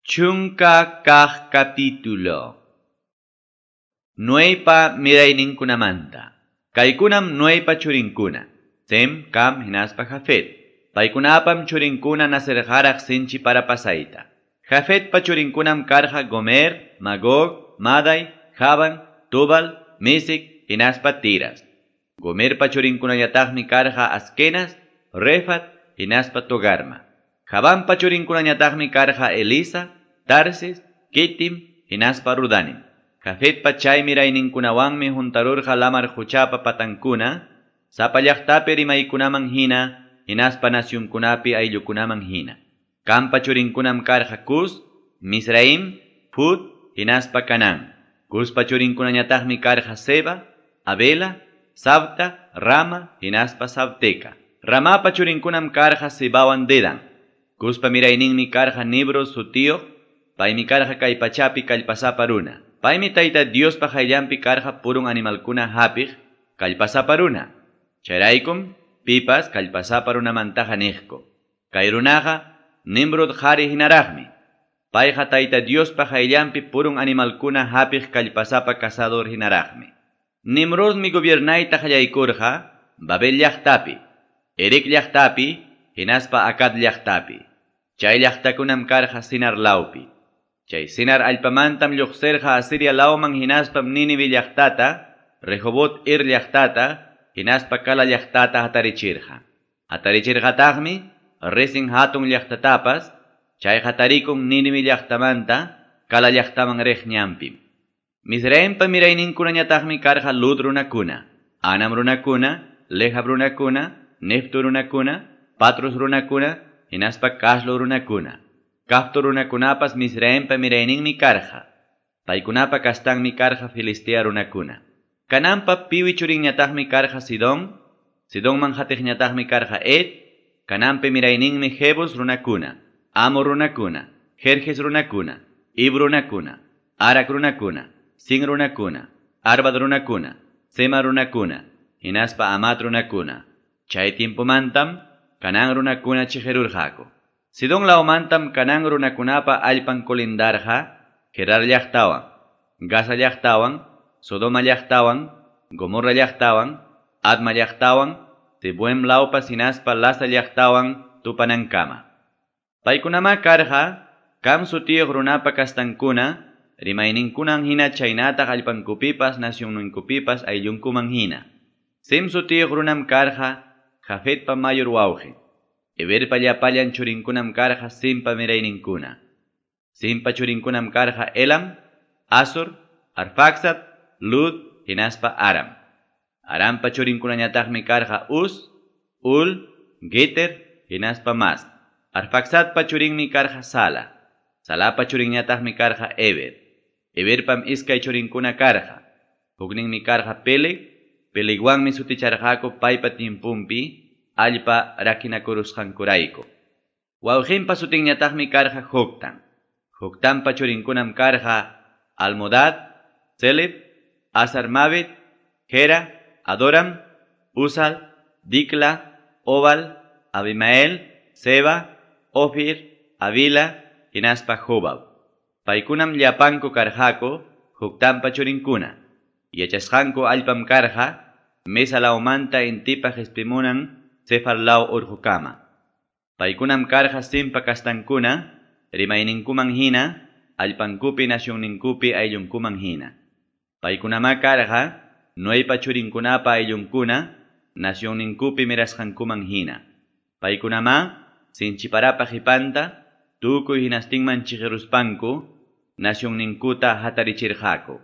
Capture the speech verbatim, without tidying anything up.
Chunka kaq capítulo. Noeypa mirayninkunamanta. Kaykunam Noeypa churinkuna. Sem, Cam, hinaspa Jafet. Paykunapam churinkuna nacerqaraq sinchi para pasayta. Jafetpa churinkunam karqa Gomer, Magog, Maday, Javan, Tubal, Mesec, hinaspa Tiras. Gomerpa churinkunañataqmi karqa Askenas, Refat, hinaspa Togarma. Javanpa churinkunañataqmi karqa Elisa, Tarsis, Kitim, hinaspa Rudanim. Jafetpa chay mirayninkunawanmi juntarurqa lamar quchapa patankuna, sapa llaqtapi rimaykunaman hina, hinaspa nasyunkunapi ayllukunaman hina. Campa churinkunam karqa Cus, Misraim, Put, hinaspa Canán. Cuspa churinkunañataqmi karqa Seba, Abela, Sabta, Rama, hinaspa Sabteca. Ramapa churinkunam karqa Sebawan Dedan. Cuspa mirayninmi karqa Nibro sutiyuq, paymi karqa kay pachapi kallpasapa runa. Paymi Tayta Diospa qayllanpi karqa purun animalkuna hapiq kallpasapa runa. Chayraykum pipas kallpasapa runamantaqa niqku. Kay runaqa Nimrod qhari hinaraqmi. Payqa Tayta Diospa qayllanpi purun animalkuna hapiq kallpasapa cazador hinaraqmi. Nimrodmi gobiernayta qallaykurqa Babel llaqtapi, Erec llaqtapi, hinaspa Acad llaqtapi. Chay llaqtakunam karqa Sinar lawpi. Chay Sinar allpamantam lluqsirqa Asiria lawman hinaspam Nínive llaqtata, Rehobot Ir llaqtata, hinaspa Cala llaqtata hatarichirqa. Hatarichirqataqmi Resin hatun llaqtatapas, chay hatarikun Nínive llaqtamanta Cala llaqtaman riq ñanpim. Misraimpa mirayninkunañataqmi karqa Lud runakuna, Anam runakuna, Lehab runakuna, Neftu runakuna, Patrus runakuna, hinaspa Caslo runakuna. Caftor runakunapas Misraimpa mirayninmi karqa. Paykunapa kastanmi karqa Filistea runakuna. Cananpa piwi churinñataqmi karqa Sidón, Sidonman hatiqñataqmi karqa Et, Cananpa mirayninmi Jebus runakuna, Amor runakuna, Jerjes runakuna, Ib runakuna, Arak runakuna, Sin runakuna, Arvad runakuna, Sema runakuna, hinaspa Amat runakuna. Chay tiempomantam Canán runakuna chiqirurqaku. Sidón lawmantam Canán runakunapa allpan kolindarqa Gerar llaqtawan, Gaza llaqtawan, Sodoma llaqtawan, Gomorra llaqtawan, Adma llaqtawan, Zeboim lawpas hinaspa Lasa llaqtawan tupanankama. Paykunamá karqa Cam sutiyuq runapa kastankuna, rimayninkunan hina chaynataq allpankupipas nasyunninkupipas ayllunkuman hina. Sem sutiyuq runam karqa Jafetpa mayor wawqin. Eberpa llapallan churinkunam karqa Simpa mirayninkuna. Simpa churinkunam karqa Elam, Asur, Arfaxad, Lud, hinaspa Aram. Arampa churinkunañataqmi karqa Uz, Ul, Geter, hinaspa Mas. Arfaxadpa churinmi karqa Sala. Salapa churinñataqmi karqa Eber. Eberpam iskay churinkuna karqa. Hukninmi karqa Peleg, Pelegwanmi suticharqaku paypa timpumpi allpa rakinakurusqankurayku. Wawqinpa sutinñataqmi karqa Joctan. Joctanpa churinkunam karqa Almodad, Seleb, Azarmavet, Gera, Adoram, Uzal, Dikla, Obal, Abimael, Seba, Ofir, Avila, hinaspa Jobab. Paykunam llapanku karqaku Joctanpa churinkuna. Yachasqanku allpam karqa Mesa lawmanta intipa qispimunan Sefar law urqukama. Paykunam karqa Simpa kastankuna, rimayninkuman hina, allpankupi nasyunninkupi ayllunkuman hina. Paykunamá karqa Noeypa churinkunapa ayllunkuna, nasyunninkupi mirasqankuman hina. Paykunamá sinchiparapa qhipanta, tukuy hinastinman chiqiruspanku, nasyunninkuta hatarichirqaku.